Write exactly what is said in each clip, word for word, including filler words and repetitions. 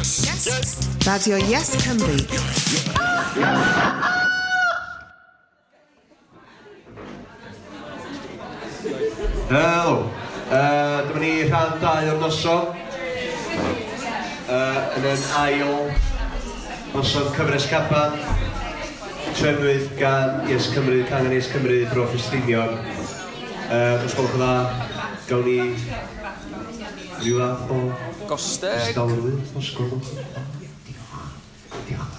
Yes. Yes. Radio Yes Cymru. Helo. Uh, dyma ni rhan dau o'r noson. Uh, yn yn ail noson cyfres Caban. Trefnwyd gan Yes Cymru, Cangen Yes Cymru, Bro Ffestiniog. Uh, os gwelwch yn dda, gawn ni ryw fath o Gosteg. Distawrwydd, os gwelwch yn dda. Diolch. Diolch.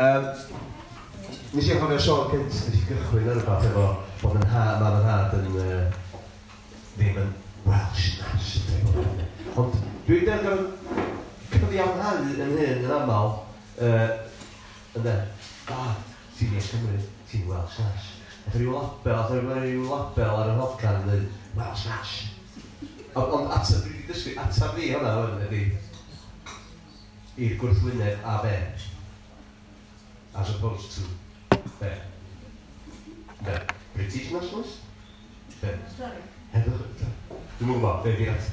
Um, nes i anghofio sôn cynt, nes i gychwyn ar rhywbeth efo bod yn ha, mam yn nhad yn uh, ddim yn Welsh national. Ond dwi'n dweud cyfiawnhau yn hyn yn aml, uh, ynde, ah, ti'n Yes Cymru, ti'n Welsh Nash. Oedd rhyw label, oedd rhyw label ar y hocan yn dweud, Welsh Nash. Ond on, ateb, dwi wedi dysgu, ateb fi hwnna hwn ydi i'r gwrthwyneb a be. As opposed to be. Be. British nationalist? Be. Sorry. Heddwch, dwi'm yn gwybod, be di'r ateb.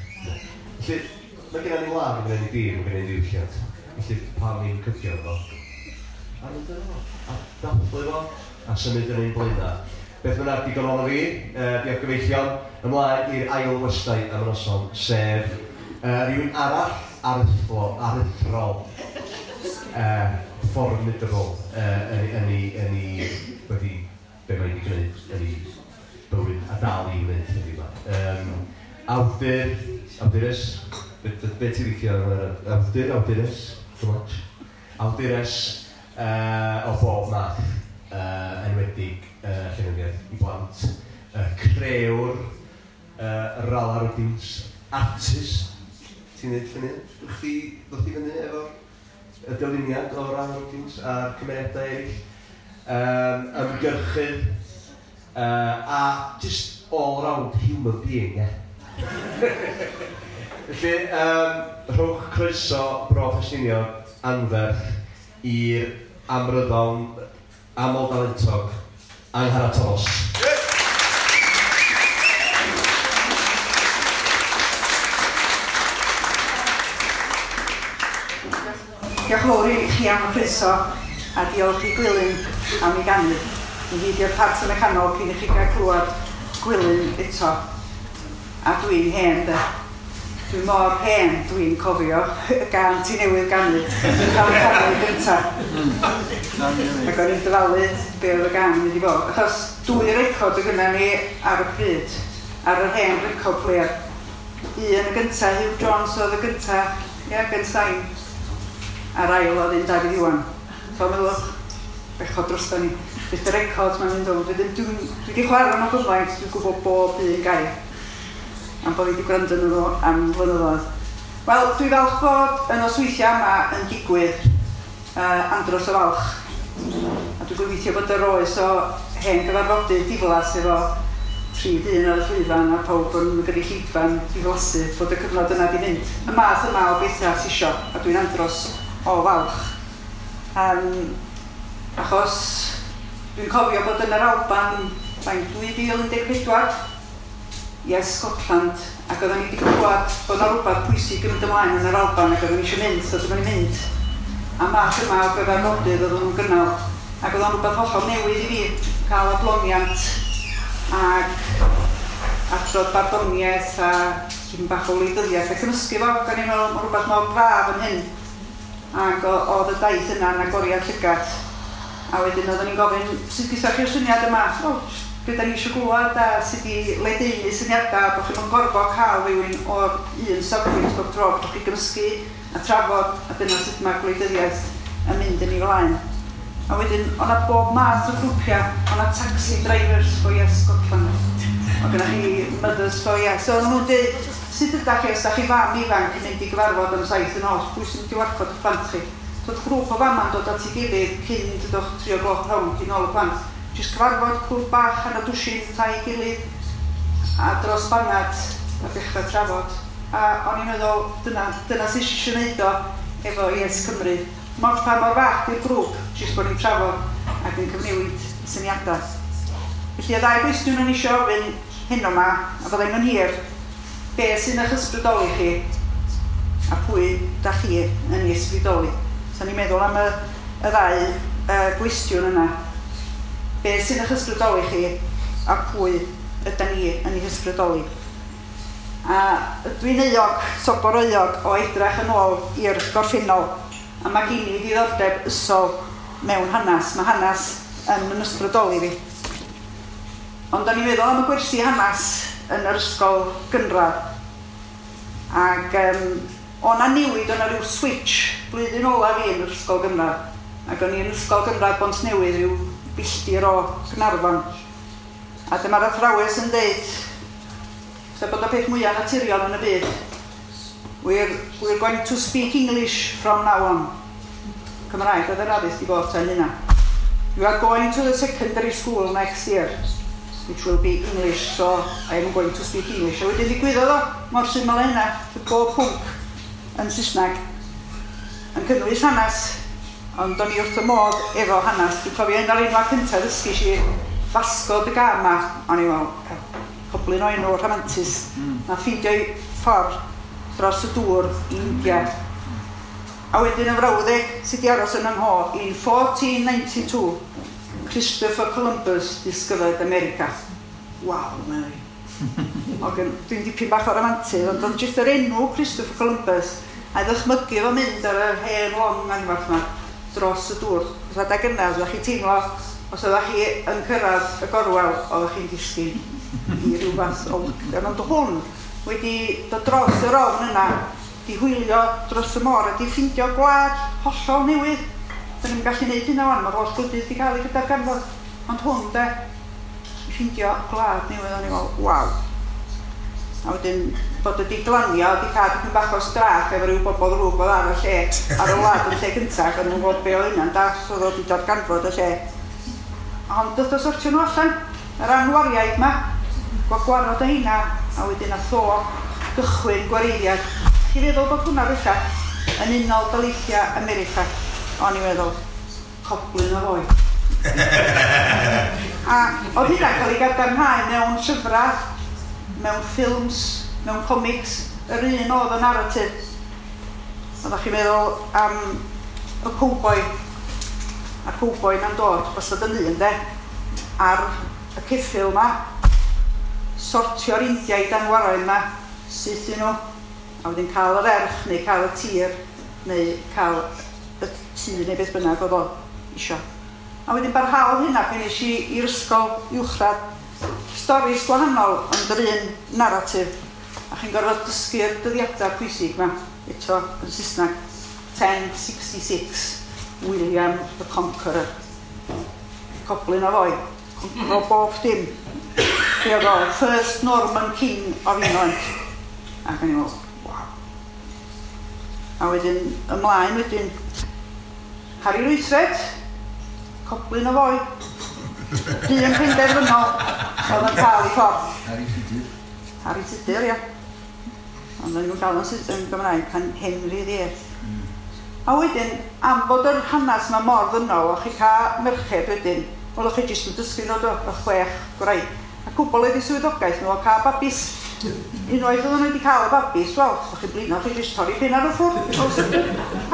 Felly, mae gennym ni wlad, mae gennym ni dir, mae gennym ni ddiwylliant. Felly, pam ni'n cydio efo? A mynd yn fo, a dathlu fo, a symud yn ein blaenau. Beth bynnag, digon ohono fi, uh, diolch gyfeillion, ymlaen i'r ail westai am y noson, sef uh, rhywun arall aruthrol, aruthrol, uh, formidable, uh, yn, yn, ei, yn ei, wedi, be mae wedi gwneud yn ei bywyd a dal i wneud heddiw yma. Um, awdur, awdures, be, be, be ti'n licio? Awdur, awdures, too much. Awdures uh, o bob math, uh, enwedig uh, llenyddiaeth i blant, uh, crëwr, uh, Rala Rwdins, artist, ti'n neud lluniau? Chdi ddod i fyny efo'r y dyluniad o Rala Rwdins a'r cymeriadau eraill, um, ymgyrchydd, uh, a just all-round human being, ie. Felly, um, rhowch croeso Bro Ffestiniog anferth i'r amryddawn aml dalentog Angharad Tomos. Diolch yn fawr i chi am y croeso a diolch i Gwilym am ei ganu. Mi fydd i'r part yn y canol cyn i chi gael clywed Gwilym eto. A dwi'n hen de. Dwi mor hen, dwi'n cofio y gân ti newydd ganu. Dwi'n cael y canu gyntaf. Ac o'n i'n dyfalu be oedd y gân yn mynd i fod. Achos dwy record oedd gynna ni ar y pryd, ar yr hen record player. Un y gyntaf, Hugh Jones oedd y gyntaf, ia, gen sain. A'r ail oedd un Dafydd Iwan. So meddwch, bechod drosto ni. Bydd y record mae'n mynd o'n. Dwi wedi chwarae nhw gymaint, dwi'n gwybod bob un gair. Am bod fi wedi gwrando nhw am flynyddoedd. Wel, dwi falch bod y nosweithiau yma yn digwydd, uh, andros o falch. A dwi'n gobeithio bod yr oes o hen gyfarfodydd diflas efo tri dyn ar y llwyfan a pawb yn gynulleidfa'n diflasu bod y cyfnod yna di mynd. Y math yma o bethau ti isio, a dwi'n andros o falch. Um, achos dwi'n cofio bod yn yr Alban faint dwy fil un deg pedwar, Yes Scotland, ac oedden ni wedi clywed bod yna rhywbeth pwysig yn mynd ymlaen yn yr Alban ac oedden ni eisiau mynd, so dyma ni'n mynd. A math yma o gyfarfodydd oedden nhw'n gynnal, ac oedd o'n rhywbeth hollol newydd i fi, cael adloniant ac adrodd barddoniaeth a tipyn bach o wleidyddiaeth a cymysgu fo, ac o'n i'n meddwl ma' rhywbeth mor braf yn hyn. Ac oedd y daith yna yn agoriad llygad. A wedyn oedden ni'n gofyn, sut gyda chi'r syniad yma? O, be da ni eisiau glywed a sut i ledaenu syniadau, bod chi'n gorfod cael rhywun o'r un safbwynt bob tro, bod chi'n gymysgu a trafod, a dyna sut mae gwleidyddiaeth yn mynd yn ei flaen. A wedyn, o'na bob math o grwpiau, o'na taxi drivers for Yes Scotland, o gyda chi mothers for Yes. So o'n nhw'n dweud, sut ydach chi, os da chi fam ifanc yn mynd i gyfarfod am saith yn nos, pwy sy'n mynd i warchod y plant chi? So oedd grŵp o fama'n dod at ei gilydd cyn dydwch tri o gloch rhwng, cyn ôl y plant. Jyst cyfarfod clwb bach ar y dwsin tai gilydd a dros banad a dechrau trafod. A o'n i'n meddwl, dyna, dyna sy'n eisiau gwneud o efo Yes Cymru. Mor pa mor fach di'r grŵp, jyst bod ni'n trafod ac yn cyfnewid syniadau. Felly y ddau gwestiwn o'n eisiau ofyn heno yma, a fyddai'n yn hir, be sy'n eich ysbrydoli chi A pwy da chi yn ei ysbrydoli? So ni'n meddwl am y, y ddau uh, gwestiwn yna. Be sy'n eich ysbrydoli chi a pwy yda ni yn ei hysbrydoli? A dwi'n euog, sobor euog, o edrach yn ôl i'r gorffennol. A mae gen i ddiddordeb ysol mewn hanes. Mae hanes yn yn ysbrydoli fi. Ond o'n i'n meddwl am y gwersi hanes yn yr ysgol gynradd. Ac um, o na newid, o na rhyw switch blwyddyn ola fi yn yr ysgol gynradd. Ac o'n i yn ysgol gynradd Bontnewydd, rhyw filltir o Gaernarfon. A dyma'r athrawes yn deud, sef bod y peth mwyaf naturiol yn y byd, We're, we're going to speak English from now on. Cymraeg oedd yr addysg i fod tan hynna. You are going to the secondary school next year, which will be English, so I am going to speak English. A wedyn ddigwyddodd o, mor syml â hynna, bob pwnc yn Saesneg, yn cynnwys hanes, ond o'n i wrth y modd efo hanes. Dwi'n cofio un o'r enwa cyntaf ddysgu i Vasco da Gama, o'n i'n meddwl, coblyn o enw rhamantus, mm. na ffeindio'i ffordd dros y dŵr i India. A wedyn y frawddeg sydd wedi aros yn 'y ngho, in fourteen ninety-two, Christopher Columbus discovered America. Waw, Mary. Dwi'n dipyn bach o ramantydd, ond oedd jyst yr enw Christopher Columbus, a ddychmygu fo mynd ar yr hen long anferth yma dros y dŵr. Os adag yna, oeddech chi'n teimlo, os oeddech chi yn cyrraedd y gorwel, oeddech chi'n disgyn i ryw fath o lockdown. Ond hwn wedi dod dros yr ofn yna, di hwylio dros y môr a di ffindio gwlad hollol newydd. Dyn ni'n gallu gwneud hynna wan, mae'r holl gwledydd wedi cael ei gydarganfod. Ond hwn de, i ffindio gwlad newydd, o'n i'n meddwl, waw. A wedyn bod wedi glanio, wedi cael dipyn bach o strach efo rhyw bobl ddrwg oedd ar y lle, ar y wlad yn lle cyntaf, o'n nhw'n gwybod be oedd hynna'n das, oedd wedi darganfod y lle. Ond dod o sortio nhw allan, yr anwariaid ma, gwagwarod o hynna, a wedyn nath o gychwyn gwareiddiad. Chi feddwl bod hwnna bellach yn Unol Daleithiau America? O'n i'n meddwl, coblyn o foi. A oedd hynna'n cael ei gadarnhau mewn llyfrau, mewn ffilms, mewn comics, yr un oedd y narrative. Oeddech chi'n meddwl am y cowboi, a'r cowboi na'n dod, wastad yn un de, ar y ceffyl ma, sortio'r Indiaid anwaraidd ma, syth i nhw, a wedyn cael yr erch, neu cael y tir, neu cael y tŷ, neu beth bynnag oedd o isio. A wedyn barhaodd hynna pan es i i'r ysgol uwchradd. Storis gwahanol, ond yr un narrative. A chi'n gorfod dysgu'r dyddiadau pwysig ma, eto yn Saesneg. ten sixty-six, William the Conqueror. Coblyn o foi, concro bob dim. Be oedd o, first Norman King of England. Ac o'n i'n meddwl, waw. A wedyn, ymlaen wedyn, Harri'r Wythfed, coblyn o foi. Dyn penderfynol oedd yn cael ei ffordd. Harri Tudur. Harri Tudur, ia. Ond o'n nhw'n gael yn yn Gymraeg, pan Henry the Eighth. Mm. A wedyn, am fod yr hanes yma mor ddynol, o'ch chi cael merched wedyn, wel o'ch chi jyst yn dysgu nhw do, y chwech gwraig. A cwbl oedd eu swyddogaeth nhw o cael babis. Unwaith oedden nhw wedi cael y babis, wel, os o'ch chi'n blino, chi jyst torri penna nhw ffwrdd.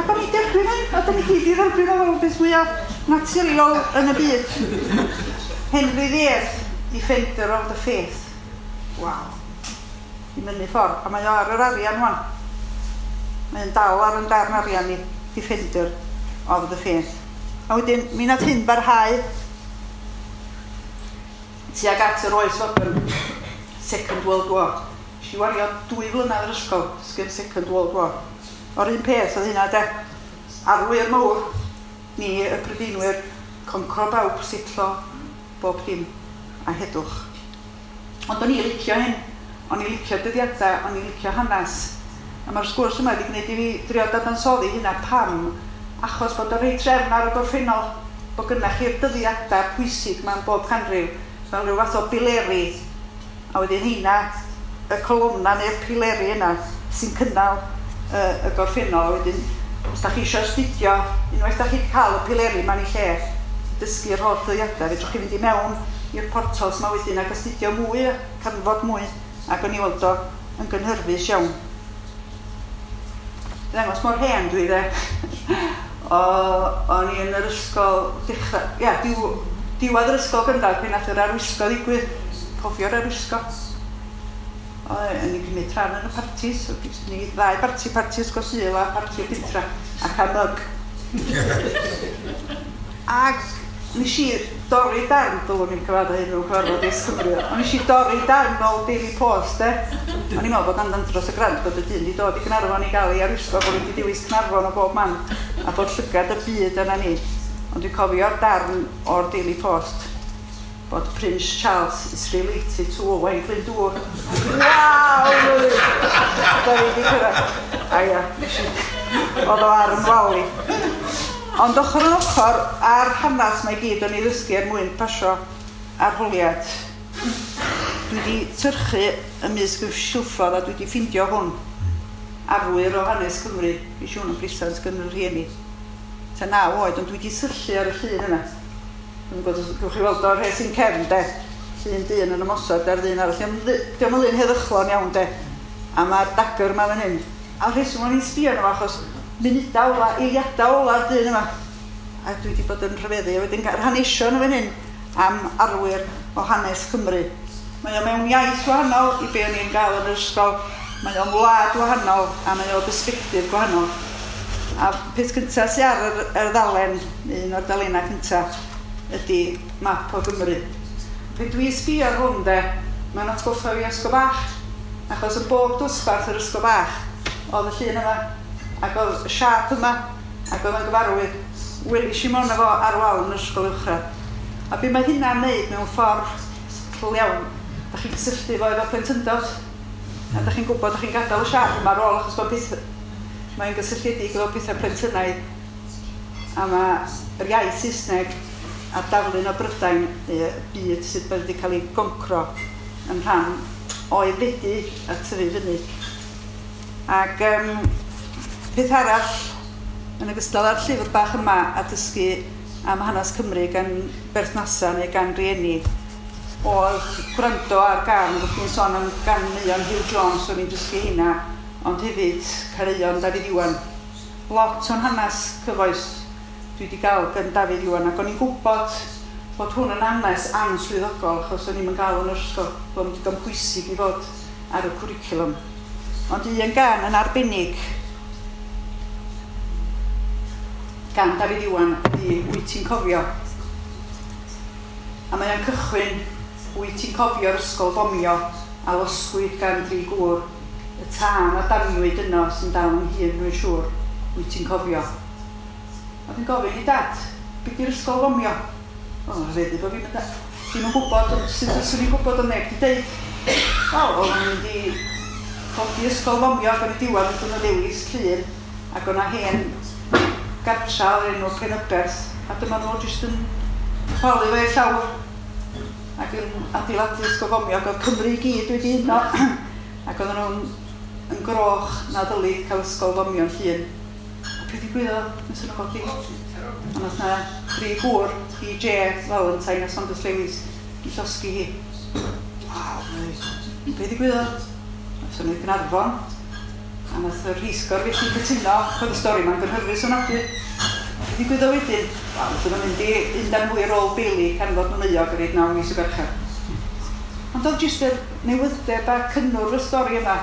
Ac o'n i derbyn hyn, a dyn ni gyd i dderbyn o fel beth mwyaf naturiol yn y byd. Henry the Eighth, Defender of the Faith. Waw. I mynu ffordd. A mae o ar yr arian wan. Mae'n dal ar yn darn arian i Defender of the Faith. A wedyn, mi nath hyn barhau tuag at yr oes fodern, Second World War. Nes i wario dwy flynedd yr ysgol, dysgu'r Second World War. O'r un peth oedd hynna de. Arwyr mawr, ni y Prydeinwyr, concro bawb, sitlo, bob dim, a heddwch. Ond o'n i licio hyn, o'n i licio dyddiadau, o'n i licio hanes. A mae'r sgwrs yma wedi gwneud i fi drio dadansoddi hynna pam, achos bod o'n rhoi trefn ar y gorffennol, bod gynnach chi'r dyddiadau pwysig mewn bob canrif, fel rhyw fath o bileri, a wedyn hynna, y colofna neu'r pileri yna sy'n cynnal y, y gorffennol, a wedyn os da chi eisiau astudio, unwaith da chi cael y pileri ma'n ei lle, dysgu'r holl dyddiadau, fedrwch chi fynd i mewn i'r portals yma wedyn ac astudio mwy, canfod mwy, ac o'n i weld o yn gynhyrfus iawn. Ddangos mor hen dwi de. O, o'n i yn yr ysgol dechrau, ia, diw, diwedd yr ysgol gynradd pan nath yr arwisgo ddigwydd. Cofio'r arwisgo. O'n i'n cymryd rhan yn y partis. Ni ddau barti, parti ysgol Sul a parti o Bitra a cael myg. Ac nes i dorri darn, dylwn i'n cyfarfod hyn mewn cyfarfod Yes Cymru, ond nes i dorri darn o'r Daily Post, e. O'n i'n meddwl bod andan dros y grant bod y dyn wedi dod i Gaernarfon i gael ei arwisgo, bod wedi dewis Caernarfon o bob man, a bod llygad y byd yna ni. Ond dwi'n cofio'r darn o'r Daily Post, bod Prince Charles is related to Owain Glyndŵr. Waw! Da fi wedi cyrraedd. A ia, nes i, oedd o ar yn wal i. Ond ochr yn ochr, a'r hanes mae gyd o'n ei ddysgu er mwyn pasio arholiad. Dwi wedi tyrchu ymysg y silffodd a dwi wedi ffindio hwn. Arwyr o hanes Cymru. Fi siŵr yn brisant gan y rhieni. Ta naw oed, ond dwi wedi syllu ar y llun yna. Dwi'n gwybod, gewch chi weld o'r rhes sy'n cefn, de. Llun dyn yn ymosod ar ddyn arall. Dio'm yn lun heddychlon iawn, de. A mae'r dagger yma fan hyn. A'r rheswm o'n i'n sbio arno fo, achos munudau ola, eiliadau ola'r dyn yma. A dwi wedi bod yn rhyfeddu. A wedyn yr hanesion yn fan hyn am arwyr o hanes Cymru. Mae o mewn iaith wahanol i be o'n i'n gael yn yr ysgol. Mae o'n wlad wahanol a mae o bersbectif gwahanol. A peth cyntaf sy'n ar yr, yr ddalen, un o'r dalennau cyntaf, ydy map o Gymru. Pe dwi'n sbio ar hwn de, mae'n atgoffa fi ysgol bach. Achos yn bob dosbarth yr ysgol bach, oedd y llun yma, ac oedd y siâp yma, ac oedd yn gyfarwydd. Welis i mono fo ar wal yn yr ysgol uwchradd. A be mae hynna'n neud mewn ffordd subtle iawn, da chi'n cysylltu fo efo plentyndod, a da chi'n gwybod, da chi'n gadael y siâp yma ar ôl, achos bod peth, mae'n gysylltiedig efo pethau plentynnaidd. A mae yr iaith Saesneg a darlun o Brydain, y byd sydd wedi cael ei goncro yn rhan o'i fedu a tyfu fyny. Ac um, peth arall, yn ogystal â'r llyfr bach yma a dysgu am hanes Cymru gan berthnasau neu gan rieni, oedd gwrando ar gân, oeddech chi'n sôn am ganeuon Huw Jones, o'n i'n dysgu hynna, ond hefyd caneuon Dafydd Iwan. Lot o'n hanes cyfoes dwi wedi gael gan Dafydd Iwan, ac o'n i'n gwybod bod hwn yn hanes answyddogol, achos o'n i'm yn gael yn yr ysgol, bod o'n digon pwysig i fod ar y cwricwlwm. Ond un gân yn arbennig gan Dafydd Iwan ydy Wyt ti'n cofio? A mae o'n cychwyn Wyt ti'n cofio'r ysgol fomio a losgwyd gan dri gŵr, y tân a daniwyd yno sy'n dal yn hun dwi'n siŵr, wyt ti'n cofio? A dwi'n gofyn i dad, be di'r ysgol fomio? O, rhyfeddu bod fi'n mynd, ddim yn gwybod, sut fyswn i'n gwybod ond neb di deud. Wel, o'n nhw'n mynd i codi ysgol fomio ac yn y diwedd wnaethon nhw ddewis Llŷn ac o'na hen gartra o'r enw Penyberth, a dyma nhw jyst yn chwalu fo i'r llawr ac yn adeiladu ysgol fomio, ac oedd Cymru i gyd wedi uno ac oedden nhw'n yn groch na ddylid cael ysgol fomio yn Llŷn. A beth ddigwyddodd? Wnaethon nhw godi. A nath na dri gŵr, D J, Valentine a Saunders Lewis, i llosgi hi. Waw, be ddigwyddodd? Nathon nhw i Gaernarfon, a nath y rheithgor felly cytuno, oedd y stori ma'n gynhyrfus ofnadwy. Be ddigwyddodd wedyn? Wel, nathon nhw'n mynd i un dan fwy ar ôl Bailey gan fod nhw'n euog ar naw mis o garchar. Ond oedd jyst yr newyddeb a cynnwrf y stori yma.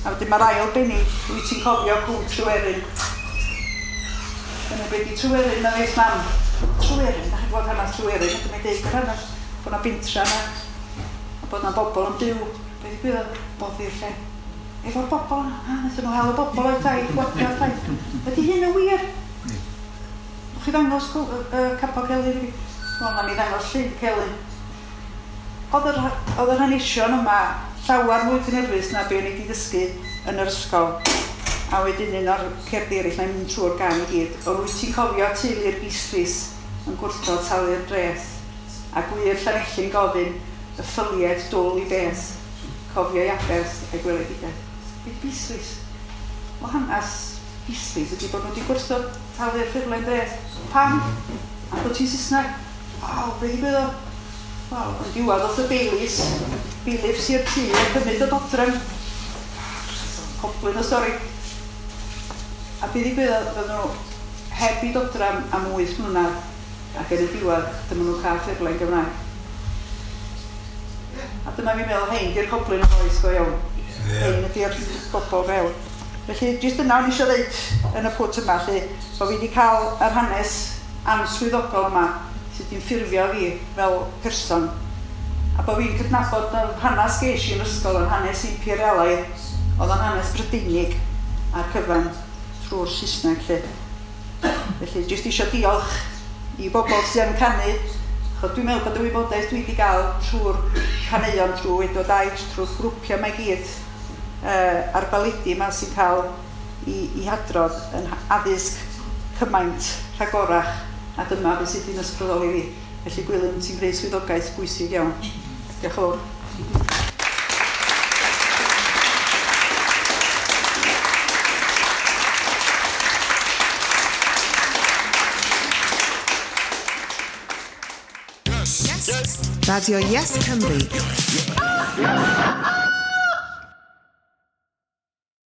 A wedyn mae'r ail bennill, wyt ti'n cofio Cwm Tryweryn. Dyna be di Tryweryn, na ddeis mam. Tryweryn, da chi'n gwybod hanes Tryweryn, ac mae'n deud yr hanes bod na bentra yna, a bod na bobl yn byw. Be ddigwyddodd? Boddi'r lle. Efo'r bobl yna, a wnaethon nhw hel y bobl o'i tai, gwagio'r tai. Ydy hyn yn wir? Nwch chi ddangos uh, capel Celyn i fi? Wel, na mi ddangos llun Celyn. Oedd yr, oedd yr hanesion yma llawer mwy cynhyrfus na be o'n i wedi dysgu yn yr ysgol. A wedyn un o'r cerddi eraill, na'n mynd trwy'r gan i gyd. O wyt ti'n cofio teulu'r Beasleys yn gwrthod talu'r dreth, a gwir Llanelli'n gofyn y ffylied dwl i beth, cofio i aberth a gweledigaeth. Beth Beasleys? O hanes Beasleys ydy bod nhw wedi gwrthod talu'r ffurflen dreth. Pam? A bod ti'n Saesneg? Waw, be ddigwyddodd? Wel, yn diwedd oedd y Baileys, bailiffs i'r tŷ a cymryd y dodrefn. Coblyn y stori. A be ddigwyddodd, fydden nhw heb i dodram am wyth mlynedd, ac yn y diwedd, dyma nhw'n cael ffurflen Gymraeg. A dyma fi'n meddwl, hein, di'r goblin o oes go iawn. Yeah. Hein ydi'r bobl go iawn. Felly, jyst yna o'n i eisiau dweud yn y pwt yma, lle, bod fi wedi cael yr hanes answyddogol yma sydd wedi'n ffurfio fi fel person. A bod fi'n cydnabod yr hanes ges i yn ysgol yn hanes imperialaidd, oedd o'n hanes Brydeinig a'r cyfan trwy'r Saesneg lle. Felly, jyst eisiau diolch i bobl sydd yn canu, achos dwi'n meddwl bod y wybodaeth dwi wedi gael trwy'r caneuon, trwy Edward Aich, trwy'r grwpiau mae gyd, uh, a'r baledi yma sy'n cael i, i hadrodd yn addysg cymaint rhagorach, a dyma beth sydd wedi'n ysbrydoli fi. Felly Gwilym, ti'n gwneud swyddogaeth bwysig iawn. Diolch yn fawr. Radio Yes Cymru.